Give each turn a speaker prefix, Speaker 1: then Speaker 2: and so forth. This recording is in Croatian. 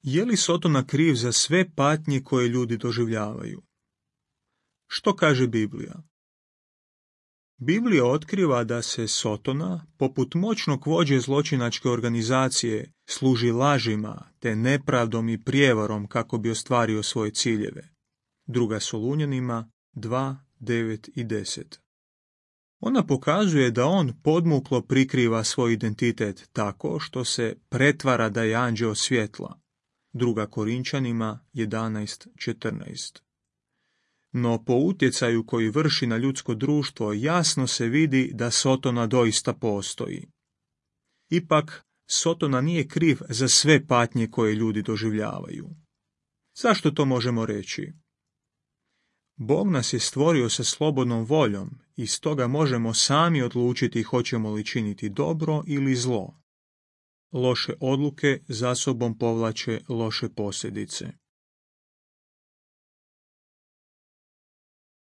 Speaker 1: Je li Sotona kriv za sve patnje koje ljudi doživljavaju? Što kaže Biblija? Biblija otkriva da se Sotona, poput moćnog vođe zločinačke organizacije, služi lažima te nepravdom i prijevarom kako bi ostvario svoje ciljeve. 2. Solunjanima 2, 9 i 10. Ona pokazuje da on podmuklo prikriva svoj identitet tako što se pretvara da je anđeo svjetla. 2. Korinčanima 11:14. No po utjecaju koji vrši na ljudsko društvo jasno se vidi da Sotona doista postoji. Ipak, Sotona nije kriv za sve patnje koje ljudi doživljavaju. Zašto to možemo reći? Bog nas je stvorio sa slobodnom voljom i stoga možemo sami odlučiti hoćemo li činiti dobro ili zlo. Loše odluke za sobom povlače loše posljedice.